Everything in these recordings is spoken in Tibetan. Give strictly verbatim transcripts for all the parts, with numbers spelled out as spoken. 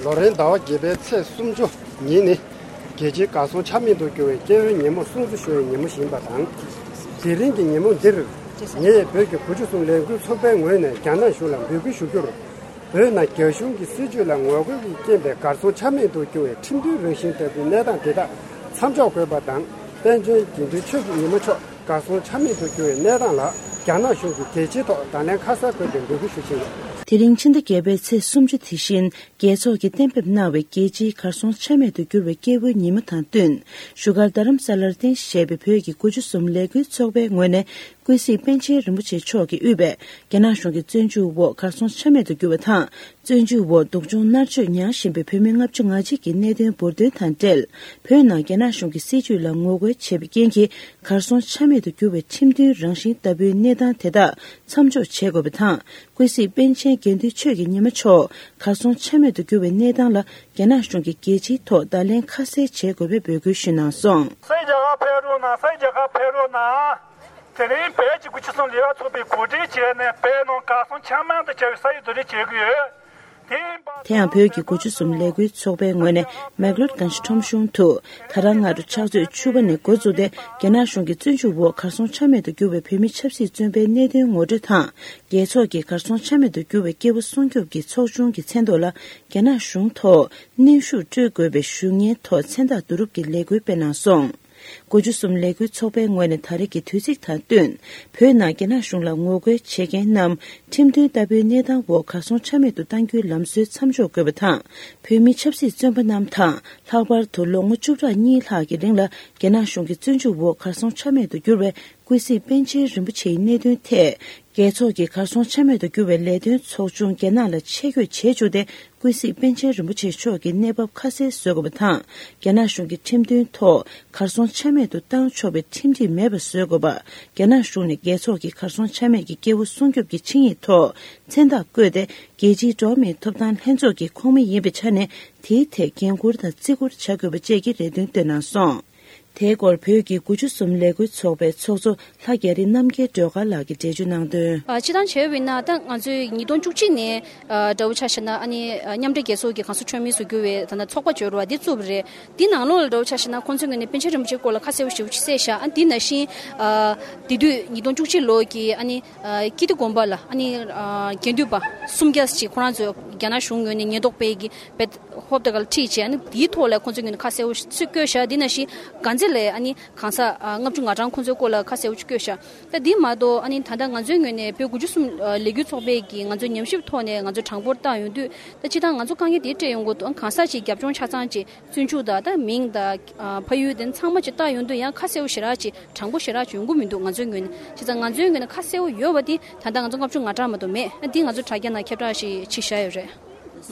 ལོ་རེའི་ཟླ་བ་བརྒྱད་པའི་ཚེས་སུམ་ཅུ་ཉིན་ནི། རྒྱལ་སྤྱིའི་གར་སོང་ཆ་མེད་དུ་གྱུར་བའི་སྐྱེ་བོའི་ཉིན་མོ་སྲུང་བརྩི་ཞུ་བའི་ཉིན་མོ་ཞིག་ཡིན་པ་དང་། དེ་རིང་གི་ཉིན་མོ་འདིར། ངས་བོད་ཀྱི་དགུ་བཅུ་གསུམ་ལས་འགུལ་ཚོགས་པའི་ངོས་ནས་རྒྱ་ནག་གཞུང་ལ་འབོད་སྐུལ་ཞུ་རྒྱུར། བོད་ནང་རྒྱ་གཞུང་གི་སྲིད་བྱུས་ལ་ངོ་རྒོལ་གྱི་རྐྱེན་པས་གར་སོང་ཆ་མེད་དུ་གྱུར་བའི་ཁྲིམས་མཐུན་རང་བཞིན་ལྟ་བུའི་གནས་སྟངས་དེ་དག་མཚམས་འཇོག་དགོས་པ་དང་། པཎ་ཆེན་དགེ་འདུན་ཆོས་ཀྱི་ཉི་མ་མཆོག་གར་སོང་ཆ་མེད་དུ་གྱུར་བའི་གནས་སྟངས་ལ། རྒྱ་ནག་གཞུང་གིས་རྒྱལ་སྤྱིའི་ཐོག་བརྡ་ལན་ཁ་གསལ་དགོས་པའི་འབོད་སྐུལ་ཞུ་བཞིན་ཡོད། དེ་རིང་ཕྱི་ཟླ་བརྒྱད་པའི་ཚེས་སུམ་ཅུ་དེ་བཞིན། རྒྱལ་ཚོགས་ཀྱིས་གཏན་འབེབས་གནང་བའི་རྒྱལ་སྤྱིའི་གར་སོང་ཆ་མེད་དུ་གྱུར་བའི་སྐྱེ་བོའི་ཉིན་མོ་དང་བསྟུན། བཞུགས་སྒར་རྡ་རམ་ས་ལར་རྟེན་གཞི་བྱས་པའི་བོད་ཀྱི་དགུ་བཅུ་གསུམ་ལས་འགུལ་ཚོགས་པའི་ངོས་ནས། ཀུན་གཟིགས་པཎ་ཆེན་རིན་པོ་ཆེ་མཆོག་གིས་དབུས་པའི་རྒྱ་ནག་གཞུང་གི་བཙོན་འཇུག་འོག་གར་སོང་ཆ་མེད་དུ་གྱུར་བ་དང་། བཙོན་འཇུག་འོག་སྡུག་སྦྱོང་མནར་གཅོད་མྱངས་བཞིན་པའི་བོད་མི་ལྔ་བཅུ་ང་གཅིག་གི་གནད་དོན་འབུར་འདོན་དང་འབྲེལ། བོད་ནང་རྒྱ་ནག་གཞུང་གི་སྲིད་བྱུས་ལ་ངོ་རྒོལ་བྱས་པའི་རྐྱེན་གྱིས་གར་སོང་ཆ་མེད་དུ་གྱུར་བའི་ཁྲིམས་མཐུན་རང་བཞིན་ལྟ་བུའི་གནས་སྟངས་དེ་དག་མཚམས་འཇོག་བྱེད་དགོས་པ་དང་། ཀུན་གཟིགས་པཎ་ཆེན་དགེ་འདུན་ཆོས་ཀྱི་ཉི་མ་མཆོག་གར་སོང་ཆ་མེད་དུ་གྱུར་བའི་གནས་སྟངས་ལ། རྒྱ་ནག་གཞུང་གིས་རྒྱལ་སྤྱིའི་ཐོག་བརྡ་ལན་ཁ་གསལ་བྱེད་དགོས་པའི་འབོད་སྐུལ་ཞུས་གནང་སོང་། སུ་རྒྱ་གར་ཕེབས་རོགས་གནང་། སུ་རྒྱ་གར་ཕེབས་རོགས་གནང་། དེ་རིང་བོད་ཀྱི་དགུ་བཅུ་གསུམ་ལས་འགུལ་ཚོགས་པས་གོ་སྒྲིག་བྱས་ནས་བོད་ནང་གར་སོང་ཆ་མེད་དུ་གྱུར་བའི་ས་ཡིག་བསྡུ་སྒྲིག་བྱེད་ཀྱི་ཡོད། དེ་ཡིན་པ། དེ་ཡང་བོད་ཀྱི་དགུ་བཅུ་གསུམ་ལས་འགུལ་ཚོགས་པའི་ངོས་ནས་མེག་ལོར་གངས་ཤེལ་ཁྲོམ་གཞུང་དུ། ད་རང་སྔ་དྲོ་ཕྱག་ཚོད་བཅུ་པ་ནས་འགོ་བཙུགས་ཏེ། རྒྱ་ནག་གཞུང་གི་བཙོན་འཇུག་འོག་གར་སོང་ཆ་མེད་དུ་གྱུར་བའི་བོད་མི་ཆབ་སྲིད་བཙོན་པའི་གནད་དོན་ངོ་སྤྲོད་དང་། རྒྱལ་ཚོགས་ཀྱིས་གར་སོང་ཆ་མེད་དུ་གྱུར་བའི་སྐྱེ་བོ་སྲུང་སྐྱོབ་ཀྱི་ཚོགས་ཆུང་གི་མཚན་ཐོག་ལ། རྒྱ་ནག་གཞུང་ཐོག་གནོན་ཤུགས་སྤྲོད་དགོས་པའི་ཞུ་སྙན་ཐོག་མཚན་རྟགས་བསྡུ་རུབ་ཀྱི་ལས་འགུལ་སྤེལ་གནང་སོང་། དགུ་བཅུ་གསུམ་ལས་འགུལ་ཚོགས་པའི་ངོས་ནས་ད་རེས་ཀྱི་དུས་ཚིགས་དང་བསྟུན། བོད་ནང་རྒྱ་ནག་གཞུང་ལ་ངོ་རྒོལ་བྱེད་མཁན་རྣམས་ཁྲིམས་མཐུན་ལྟ་བུའི་གནས་སྟངས་འོག་གར་སོང་ཆ་མེད་དུ་གཏང་རྒྱུའི་ལམ་སྲོལ་མཚམས་འཇོག་དགོས་པ་དང་། བོད་མི་ཆབ་སྲིད་བཙོན་པ་རྣམས་དང་། ལྷག་པར་དུ་ལོ་ངོ་བཅུ་ཕྲག་གཉིས་ལྷག་གི་རིང་ལ་རྒྱ་ནག་གཞུང་གི་བཙོན་འཇུག་འོག་གར་སོང་ཆ་མེད་དུ་གྱུར་བའི་ཀུན་གཟིགས་པཎ་ཆེན་རིན་པོ་ཆེའི་གནད་དོན་ཐད། རྒྱལ་ཚོགས་ཀྱི་གར་སོང་ཆ་མེད་དུ་གྱུར་བའི་ལས་དོན་ཚོགས་ཆུང་རྒྱ་ནག་ལ་ཆེད་བསྐྱོད་བྱེད་བཅུག་སྟེ། ཀུན་གཟིགས་པཎ་ཆེན་རིན་པོ་ཆེ་མཆོག་གི་གནས་བབ་ཁ་གསལ་བཟོ་དགོས་པ་དང་། རྒྱ་ནག་གཞུང་གི་ཁྲིམས་མཐུན་ཐོག་གར་སོང་ཆ་མེད་དུ་བཏང་ཆོག་པའི་ཁྲིམས་སྒྲིག་མེད་པ་བཟོ་དགོས་པ། རྒྱ་ནག་གཞུང་ནས་རྒྱལ་ཚོགས་ཀྱི་གར་སོང་ཆ་མེད་ཀྱི་སྐྱེ་བོ་སྲུང་སྐྱོབ་ཀྱི་ཆིངས་ཡིག་ཐོག་མཚན་རྟགས་བཀོད་དེ། རྒྱལ་སྤྱིའི་འགྲོ་བ་མིའི་ཐོབ་ཐང་ལྷན་ཚོགས་ཀྱི་ཁོངས་མི་ཡིན་པའི་ཆ་ནས། དེའི་ཐད་འགན་འཁུར་དང་བརྩི་བཀུར་བྱ་དགོས་པ་བཅས་ཀྱི་རེ་འདུན་བཏོན་གནང་སོང་། དེའི་སྐོར་བོད་ཀྱི་དགུ་བཅུ་གསུམ་ལས་འགུལ་ཚོགས་པའི་ཚོགས་གཙོ་ལྷ་རྒྱ་རི་རྣམ་རྒྱལ་སྒྲོལ་དཀར་ལགས་ཀྱིས་འགྲེལ་བརྗོད་གནང་དོན། ཨ། སྤྱིར་བཏང་བྱས་པ་ཡིན་ན། ད་ང་ཚོས་ཉིས་སྟོང་བཅུ་གཅིག་ནས། ཨ། འདྲ་བོ་ཆ་བཞག་ན། ཨ་ནི། ཨ། མཉམ་འབྲེལ་རྒྱལ་ཚོགས་ཀྱི་གངས་ས་ཁྲོན་མིའི་གཟུགས་བརྙན་བའི་ད་ལྟ་ཚོགས་པ་བརྗོད་རོགས་འདི་བཙུགས་པ་རེད། འདི་ནང་ལོགས་ལ་འདྲ་བོ་ཆ་བཞག་ན། ཁོང་ཚོའི་ངོས་ནས་པཎ་ཆེན་རིན་པོ་ཆེའི་སྐོར་ལ་ཁ་གསལ་པོ་ཞེ་པོ་ཅིག་གསལ་བཞག་ཨ། འདི་ནང་བཞིན། ཨ། དེ་དུས་ཉིས་སྟོང་བཅུ་གཅིག་ལོ་གི། ཨ་ནི། ཨ། ཀིརྟི་དགོན་པ་ལ། ཨ་ནི། ཨ། དགེ་འདུན་པ་སུམ་བརྒྱ་ཅིག་ཁོ་རང་ཚོས་རྒྱ་ནག་གཞུང་ངོས་ནས་ཉེན་རྟོག་པའི་གི་བེད། ཧོབ་ཏེ་ག་ལ་ཁྲིད་བྱས། ཨ་ནི་དེའི་ཐོག་ལ་ཁོང་ཚོའི་ངོས་ནས་ཁ་གསལ་པོ་ཞིག་བཀོད་བཞག་འདི་ནང་བཞིན་གང་ཚེ་ལས། ཨ་ནི་གང་ཟག་ཨ་ལྔ་བཅུ་ང་གྲངས་ཁོང་ཚོའི་སྐོར་ལ་ཁ་གསལ་པོ་ཞིག་བཀོད་བཞག་ད་འདི་མ་གཏོགས། ཨ་ནི་ད་ལྟ་ང་ཚོའི་ངོས་ནས་བོད་དགུ་བཅུ་གསུམ་ལས་འགུལ་ཚོགས་པའི་གི་ང་ཚོའི་ཉམས་ཞིབ་ཐོག་ནས་ང་ཚོའི་གྲངས་འབོར་བཏང་ཡོང་དུས། ད་སྤྱིར་བཏང་ང་ཚོ་དཀའ་ངལ་དེ་འཕྲད་ཡོང་གི་འདུག་ཨ། གང་ཟག་ཅིག་རྒྱབ་ལྗོངས་ཆ་ཚང་ཅིག་བཙོན་འཇུག་དང་། ད་མིང་དང་། ཨ། ཕ་ཡུལ་དེ་ཚང་མ་ཅིག་བཏགས་ཡོང་དུས། ཡང་ཁ་གསལ་པོ་ཞེ་དྲག་ཅིག་དྲང་པོ་ཞེ་དྲག་ཅིག་ཡོང་གི་མི་འདུག་ང་ཚོའི་ངོས་ནས། བྱས་ཙང་ང་ཚོའི་ངོས་ནས་ཁ་གསལ་པོ་ཡོད་པ་དེ་ད་ལྟ་ང་ཚོ་ལྔ་བཅུ་ང་གྲངས་མ་གཏོགས་མེད། ཨ། འདི་ང་ཚོ་དྲ་རྒྱ་ནང་ཁྱབ་བསྒྲགས་ཞིག་ཅིག་བྱས་ཡོད་རེད།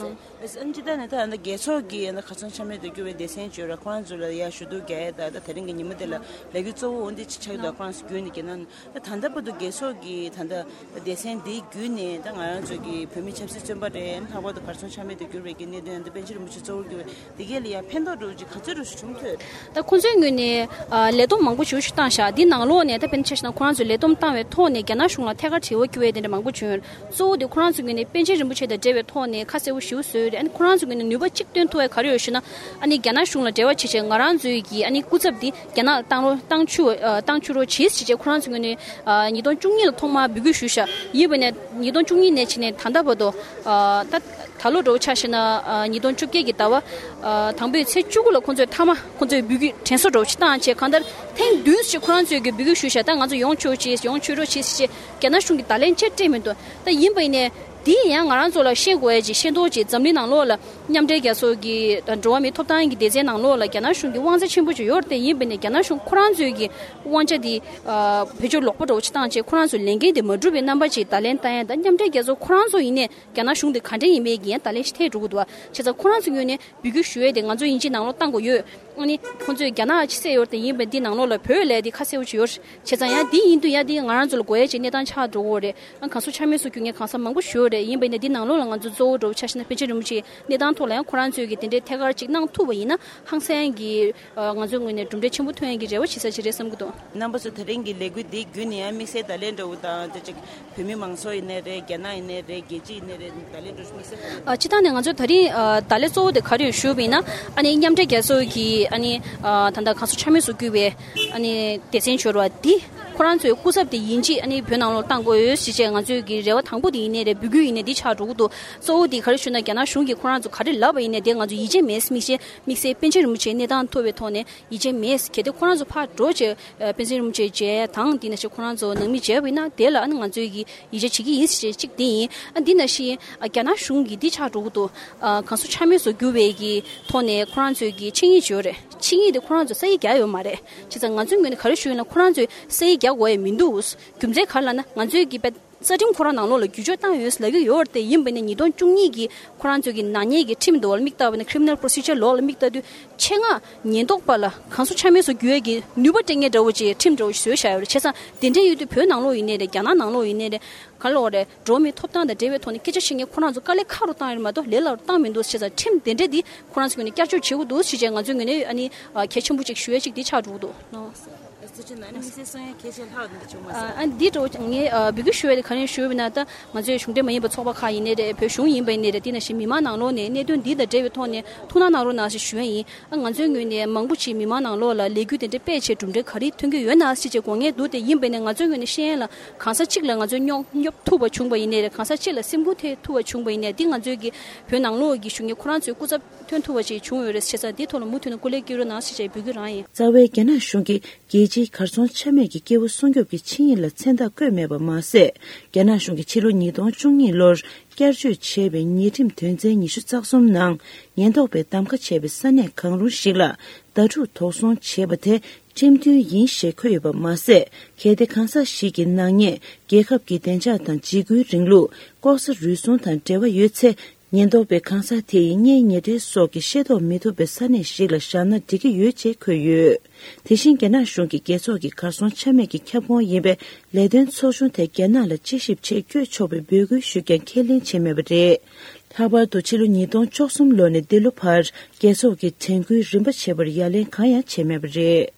ཨ་ནི་སྤྱིར་བཏང་ནས་ད་ལྟ་རྒྱལ་ཚོགས་ཀྱི་ད་གར་སོང་ཆ་མེད་དུ་གྱུར་བའི་སྡེ་ཚན་བརྗོད་ར། ཁོ་རང་ཚོ་ལ་ཡར་ཞུ་གཏུག་རྒྱག་ཡས་དང་། ད་དེ་རིང་གི་ཉིན་མོ་དེ་ལ་ལས་འགུལ་གཙོ་བོ་འོ་འདི་ཅིག་ཆགས་ཡོད་དོ། ཁོ་རང་ཚོ་བརྒྱུད་ནས་ཀྱི་ན། ད་ད་ལྟ་བར་དུ་རྒྱལ་ཚོགས་ཀྱི་ད་ལྟ་སྡེ་ཚན་འདི་བརྒྱུད་ནས། ད་ང་རང་ཚོ་གི་བོད་མི་ཆབ་སྲིད་བཙོན་པ་རེད། ལྷག་པར་དུ་གར་སོང་ཆ་མེད་དུ་གྱུར་བའི་གི་གནད་དོན། ད་པཎ་ཆེན་རིན་པོ་ཆེ་གཙོ་བོར་གྱུར་བའི་དེ་གས་ལ་ཡང་ཕན་ཐོགས་འདྲ་བོ་ཅིག་ག་ཚོད་འདྲ་བོ་ཞིག་བྱུང་ཐུབ། ད་ཁོང་ཚོའི་ངོས་ནས། ཨ། ལས་བསྡོམས་མང་པོ་ཞེ་པོ་ཞིག་བཏང་བཞག་འདི་ནང་ལོགས་ནས་ད་དཔེར་ན་ཆ་བཞག་ན། ཁོ་རང་ཚོས་ལས་བསྡོམས་བཏང་བའི་ཐོག་ནས་རྒྱ་ནག་གཞུང་ལ་ཐད་ཀར་དྲི་བ་བཀོད་ཡས་དེ་འདྲ་མང་པོ་བྱུང་ཡོད། གཙོ་བོ་དེ་ཁོ་རང་ཚོའི་ངོས་ནས་པཎ་ཆེན་རིན་པོ་ཆེ་དང་འབྲེལ་བའི་ཐོག་ནས་ཁ་གསལ་པོ་ཞེ་པོ་བཟོས་ཡོད་རེད། ཨ་ནི་ཁོ་རང་ཚོའི་ངོས་ནས་ནུས་པ་གཅིག་བཏོན་ཐུབ་པ་ག་རེ་ཡོད་ཞུ་ན། ཨ་ནི་རྒྱ་ནག་གཞུང་ལ་འབྲེལ་བ་བྱེད་བྱས་ང་རང་ཚོའི་གི། ཨ་ནི་སྐུ་ཚབ་འདི་རྒྱ་ནག་ལ་བཏང་རོགས། བཏང་བཅུག་ཨ། བཏང་བཅུག་རོགས་བྱེད་ཟེར་བྱས་ཁོ་རང་ཚོའི་ངོས་ནས། ཨ། ཉིས་སྟོང་བཅུ་གཉིས་ལ་ཐོག་མར་འབོད་སྐུལ་ཞུས་བཞག་ཡིན་པ་ནས་ཉིས་སྟོང་བཅུ་གཉིས་ནས་བྱས་ནས་ད་ལྟ་བར་དུ། ཨ། ད། ད་ལོ་འདྲ་བོ་ཆ་བཞག་ན། ཨ། ཉིས་སྟོང་བཅོ་བརྒྱད་ཀྱི་ཟླ་བ། ཨ། དང་པོའི་ཚེས་བཅུ་དགུ་ལ་ཁོང་ཚོས་མཐའ་མ་ཁོང་ཚོས་འབོད་སྐུལ་དྲན་གསོ་འདྲ་བོ་ཞིག་བཏང་བྱས། གང་ལྟར་ཐེངས་བདུན་ཞིག་ཁོ་རང་ཚོས་ཀྱི་འབོད་སྐུལ་ཞུས་བཞག་ད་ང་ཚོ་ཡོང་ཆོག་ཅིག་ཡོང་ཆོག་རོགས་བྱེད་ཟེར་བྱས་རྒྱ་ནག་གཞུང་གིས་བརྡ་ལན་ཆེར་སྤྲད་མི་འདུག་ད་ཡིན་པ་ཡིན་ནའི་འདི་ཡང་ང་རང་ཚོ་ལ་ཤེས་དགོས་ཡ་ཅིག་ཤེས་རྟོགས་ཅིག་འཛམ་གླིང་ནང་ལོགས་ལ་མཉམ་འབྲེལ་རྒྱལ་ཚོགས་ཀྱི་འགྲོ་བ་མིའི་ཐོབ་ཐང་གི་སྡེ་ཚན་ནང་ལོགས་ལ་རྒྱ་ནག་གཞུང་གི་དབང་ཆ་ཆེན་པོ་ཅིག་ཡོད་རེད་དེ། ཡིན་པ་ཡིན་ནའི་རྒྱ་ནག་གཞུང་ཁོ་རང་ཚོས་ཀྱི་དབང་ཆ་འདི། ཨ། བེད་སྤྱོད་ལོག་པ་འདྲ་བོ་ཅིག་བཏང་བྱས་ཁོ་རང་ཚོའི་ལས་འགན་དེ་མ་འགྲུབ་པའི་རྣམ་པ་ཅིག་བརྡ་ལན་བཏང་ཡ་དང་། མཉམ་འབྲེལ་རྒྱལ་ཚོགས་ཁོ་རང་ཚོ་ཡིན་ནའི་རྒྱ་ནག་གཞུང་དེ་ག་འདྲ་ཡིན་མིན་གྱི་ཡང་བརྡ་ལན་ཞིག་ཐེབས་འགྲོ་གི་འདུག་བ། བྱས་ཙང་ཁོ་རང་ཚོའི་ངོས་ནས་འབོད་སྐུལ་ཞུ་ཡས་དེ་ང་ཚོ་ཡིན་གཅིག་ནང་ལོགས་བཏང་དགོས་ཡོད། ཨ་ནི་ཁོང་ཚོས་རྒྱ་ནག་ཅིག་བསད་ཡོད་རེད་དེ། ཡིན་པ་འདི་ནང་ལོགས་ལ་བོད་ལབ་ཡ་དེ་ཁ་གསལ་པོ་ཅིག་ཡོད་རེད། བྱས་ཙང་ཡང་འདི་ཡིན་དུས་ཡང་འདི་ང་རང་ཚོ་ལ་དགོས་ཡ་ཅིག་གནས་སྟངས་ཆགས་འགྲོ་གི་རེད། ཨ། གང་ཟག་ཆ་མེད་སུ་གྱུར་མཁན་གང་ཟག་མང་པོ་ཞིག་ཡོད་ རེད། ཡིན་པ་ཡིན་ན་འདི་ནང་ལོགས་ལ་ང་ཚོ་གཙོ་བོ་འགྲོ་བ་ཆ་བཞག་ན་པཎ་ཆེན་རིན་པོ་ཆེའི་གནས་སྟངས་ཐོག་ལ་ཡང་ཁོ་རང་ཚོས་ཀྱི་དེ་འདྲའི་ཐད་ཀར་ཅིག་གནང་ཐུབ་པ་ཡིན་ན་ཧང་སང་གི་ང་ཚོའི་ངོས་ནས་གྲུབ་འབྲས་ཆེན་པོ་ཐོན་ཡག་གི་རེ་བ་བྱེད་ས་ཞིག་རེད་བསམ་གྱི་འདུག་རྣམ་པ་ཚོ་ད་རིང་གི་ལས་འགུལ་འདི་བརྒྱུད་ནས་ཡང་དམིགས་བསལ་བརྡ་ལན་འདྲ་བོ་དང་དེ་ཅིག་བོད་མི་མང་ཚོགས་ཡིན་ནའི་རེད། རྒྱ་ནག་ཡིན་ནའི་རེད། རྒྱལ་སྤྱི་ཡིན་ནའི་རེད། བརྡ་ལན་འདྲ་བོ་དམིགས་བསལ་བརྡ་ལན། ཨ། སྤྱིར་བཏང་ནས་ང་ཚོ་ད་རིང་ཨ་བརྡ་ལན་གཙོ་བོ་དེ་ག་རེ་ཞུས་པ་ཡིན་ན། ཨ་ནི་མཉམ་འབྲེལ་རྒྱལ་ཚོགས་ཀྱི་ཨ་ནི་ཨ་ད་ལྟ་གང་ཟག་ཆ་མེད་སུ་གྱུར་བའི་ཨ་ནི་སྡེ་ཚན་འབྱོར་བ་འདི་ཁོ་རང་ཚོའི་སྐུ་ཚབ་དེ་ཡིན་གཅིག་ཨ་ནི་བོད་ནང་ལོགས་བཏང་དགོས་ཡོད་ཞེས་བྱས་ང་ཚོའི་གི་རེ་བ་དང་པོ་དེ་ཡིན་ནའི་རེད། འབོད་སྐུལ་ཡིན་ནའི་འདི་ཆགས་འགྲོ་གི་འདུག་གཙོ་བོ་དེ་ག་རེ་ཞུ་ན། རྒྱ་ནག་གཞུང་གིས་ཁོ་རང་ཚོ་ག་རེ་ལབ་པ་ཡིན་ནའི་དེ་ང་ཚོ་ཡིད་ཆེས་མེད། དམིགས་བསལ་དམིགས་བསལ་པཎ་ཆེན་རིན་པོ་ཆེའི་གནས་སྟངས་ཐོབ་པའི་ཐོག་ནས་ཡིད་ཆེས་མེད། གལ་ཏེ་ཁོ་རང་ཚོ་ཕར་འགྲོ་བྱས་ཨ་པཎ་ཆེན་རིན་པོ་ཆེ་མཇལ་དང་དེ་ནང་བཞིན་ཁོ་རང་ཚོ་ནང་མི་མཇལ་བ་ཡིན་ན་དེ་ལ་ཨ་ནི་ང་ཚོའི་གི་ཡིད་ཆེས་བྱེད་ཀྱི་ཡིན་ཞེས་གཅིག་དེ་ཡིན། ཨ་འདི་ནང་བཞིན་ཨ་རྒྱ་ནག་གཞུང་གིས་འདི་ཆགས་འགྲོ་གི་འདུག་ཨ་གང་ཟག་ཆ་མེད་སུ་གྱུར་བའི་གི་ཐོག་ནས་ཁོ་རང་ཚོའི་གི་ཆིངས་ཡིག་ཅིག་ཡོད་རེད། ཆིངས་ཡིག་དེ་ཁོ་རང་ཚོས་ས་ཡིག་རྒྱག་ཡོད་མ་རེད། བྱས་ཙང་ང་ཚོའི་ངོས་ནས་ག་རེ་ཞུ་ཡིན་ན། ཁོ་རང་ཚོས་ས་ཡིག་རྒྱག་དགོས་ཡ་མི་འདུག་རྒྱུ་མཚན་ག་རེ་ལབ་ན། ང་ཚོའི་གི་རྩ་ཁྲིམས་ཁོ་རང་ནང་ལོགས་ལ་བསྒྱུར་བཅོས་བཏང་ཡོད་ལབ་ཀྱི་ཡོད་རེད་དེ། ཡིན་པ་ཡིན་ན་ཉིས་སྟོང་བཅུ་གཉིས་ཀྱི་ཁོ་རང་ཚོའི་གི་ནག་ཉེས་ཀྱི་ཁྲིམས་དེ་ལ་དམིགས་བཏང་བ་ཡིན་ན། Criminal Procedure Law ལ་དམིགས་བཏང་དུས་ཆེད་མངགས་ཉེན་རྟོག་པ་ལ་གང་ཟག་ཆ་མེད་སུ་གྱུར་ཡས་ཀྱི་ནུས་པ་སྤྲད་མཁན་འདྲ་བོ་ཅིག་ཁྲིམས་འདྲ་བོ་ཞིག་བཟོས་བཞག་ཡོད་རེད། བྱས་ཙང་དེ་འདྲ་ཡོད་དུས་བོད་ནང་ལོགས་ཡིན་ནའི་རེད། རྒྱ་ནག་ནང་ལོགས་ཡིན་ནའི་རེད། ག་ལབ་དགོས་རེད། འགྲོ་བ་མིའི་ཐོབ་ཐང་དང་འབྲེལ་བའི་ཐོག་ནས་སྐད་ཆ་བཤད་མཁན་ཁོ་རང་ཚོ་དཀའ་ལས་ཁག་རུ་བཏང་ཡོད་རེད་མ་གཏོགས་ལས་སླ་རུ་བཏང་མི་འདུག་བྱས་ཙང་ཁྲིམས་དེ་འདྲ་འདི་ཁོ་རང་ཚོ་ངོས་ནས་བསྐྱར་བཅོས་བྱེད་དགོས་འདུག་ཞེས་བྱས་ང་ཚོའི་ངོས་ནས་ཨ་ནི་ཨ་གལ་ཆེན་པོ་ཅིག་ཞུ་ཡས་ཅིག་འདི་ཆགས་འགྲོ་གི་འདུག་ནོ། ཨ་ཚེ་ཆེན་ནང་ནས་དམིགས་བསལ་གསུང་ཡས་གལ་ཆེ་ལྷག་འདི་བྱུང་མ་སོང་། ཨ་འདི་འདྲ་བོ་ངས་ཨ་འབོད་སྐུལ་ཞུ་ཡས་དེ་ག་རེ་ཞུ་ཡིན་ན། ད་ང་ཚོའི་གཞུང་འབྲེལ་མ་ཡིན་པའི་ཚོགས་པ་ཁག་ཡིན་ནའི་རེད། བོད་གཞུང་ཡིན་པ་ཡིན་ནའི་རེད། དེ་ནང་བཞིན་མི་མང་ནང་ལོགས་ནས་གནད་དོན་འདི་དང་འབྲེལ་བའི་ཐོག་ནས་ཐུགས་སྣང་གནང་རོགས་གནང་ཞེས་ཞུ་ཡས་ཡིན། ཨ་ང་ཚོའི་ངོས་ནས་མང་པོ་ཅིག་མི་མང་ནང་ལོགས་ལ་ལས་འགུལ་དེ་འདྲ་སྤེལ་བྱས་གྲུབ་འབྲས་ག་རེ་ཐོན་གྱི་ཡོད་ན་ཞེས་བྱས་དགོངས་ངེས་འདུག་དེ་ཡིན་པ་ཡིན་ན་ང་ཚོའི་ངོས་ནས་ཤེས་ཡོན་ལ་གང་ཟག་གཅིག་ལ་ང་ཚོས་སྙོབ་སྙོབ་ཐུབ་པ་བྱུང་པ་ཡིན་ནའི་རེད། གང་ཟག་གཅིག་ལ་སེམས་འགུལ་ཐེབས་ཐུབ་པ་བྱུང་པ་ཡིན་ནའི་འདི་ང་ཚོའི་གི་བོད་ནང་ལོགས་ཀྱི་གཞོན་སྐྱེས་ཁོ་རང་ཚོའི་སྐུ་ཚབ་ཐོན་ཐུབ་པ་ཅིག་བྱུང་ཡོད་རེད། བྱས་ཙང་འདིའི་ཐོག་ལ་མུ་མཐུད་ནས་སྐུ་ལས་སྐྱོན་རོགས་གནང་ཞེས་བྱས་འབོད་སྐུལ་རང་ཡིན། རྩ་བའི་རྒྱ་ནག་གཞུང་གིས་རྒྱལ་སྤྱིའི་གར་སོང་ཆ་མེད་ཀྱི་སྐྱེ་བོ་སྲུང་སྐྱོབ་ཀྱི་ཆིངས་ཡིག་ལ་མཚན་རྟགས་བཀོད་མེད་པ་མ་ཟད། རྒྱ་ནག་གཞུང་གིས་ཕྱི་ལོ་ཉིས་སྟོང་བཅུ་གཉིས་ལོར་བསྐྱར་བཅོས་བྱས་པའི་ཉེས་ཁྲིམས་དོན་ཚན་ཉི་ཤུ་རྩ་གསུམ་ནང་ཉེན་རྟོག་པས་གདམ་ཁ་བྱས་པའི་ས་གནས་གང་རུང་ཞིག་ལ་ཟླ་དྲུག་དོགས་ཟོན་བྱས་པ་དེ་ཁྲིམས་མཐུན་ཡིན་ཞེས་འཁོད་ཡོད་པ་མ་ཟད། གལ་ཏེ་གང་ཟག་ཞིག་གི་ནག་ཉེས་རྒྱལ་ཁབ་ཀྱི་བདེ་འཇགས་དང་འཇིགས་སྐུལ་རིང་ལུགས། ལྐོག་ཟ་རུལ་སུངས་དང་འབྲེལ་བ་ཡོད་ཚེ། ཉེན་རྟོག་པས་གང་ཟག་དེ་ཡི་གཉེན་ཉེ་འབྲེལ་སོགས་ཀྱི་ཤེས་རྟོགས་མི་ཐུབ་པའི་ས་གནས་ཤིག་ལ་བཞག་ན་འགྲིག་གི་ཡོད་ཅེས་འཁོད་ཡོད། དེ་བཞིན་རྒྱ་ནག་གཞུང་གིས་རྒྱལ་ཚོགས་ཀྱི་གར་སོང་ཆ་མེད་ཀྱི་ཁྱབ་ཁོངས་ཡིན་པའི་ལས་དོན་ཚོགས་ཆུང་དེ་རྒྱ་ནག་ལ་དཔྱད་ཞིབ་ཆེད་བསྐྱོད་ཆོག་པའི་འབོད་སྐུལ་ཞུས་ཀྱང་ཁས་ལེན་བྱས་མེད་པ་རེད། ལྷག་པར་དུ་ཕྱི་ལོ་ཉིས་སྟོང་བཅུ་གསུམ་ལོ་ནས་འདི་ལོ་བར་རྒྱལ་ཚོགས་ཀྱི་དྲན་སྐུལ་རིམ་པ་བྱས་པར་ཡ་ལན་གང་ཡང་བྱས་མེད་པ་རེད།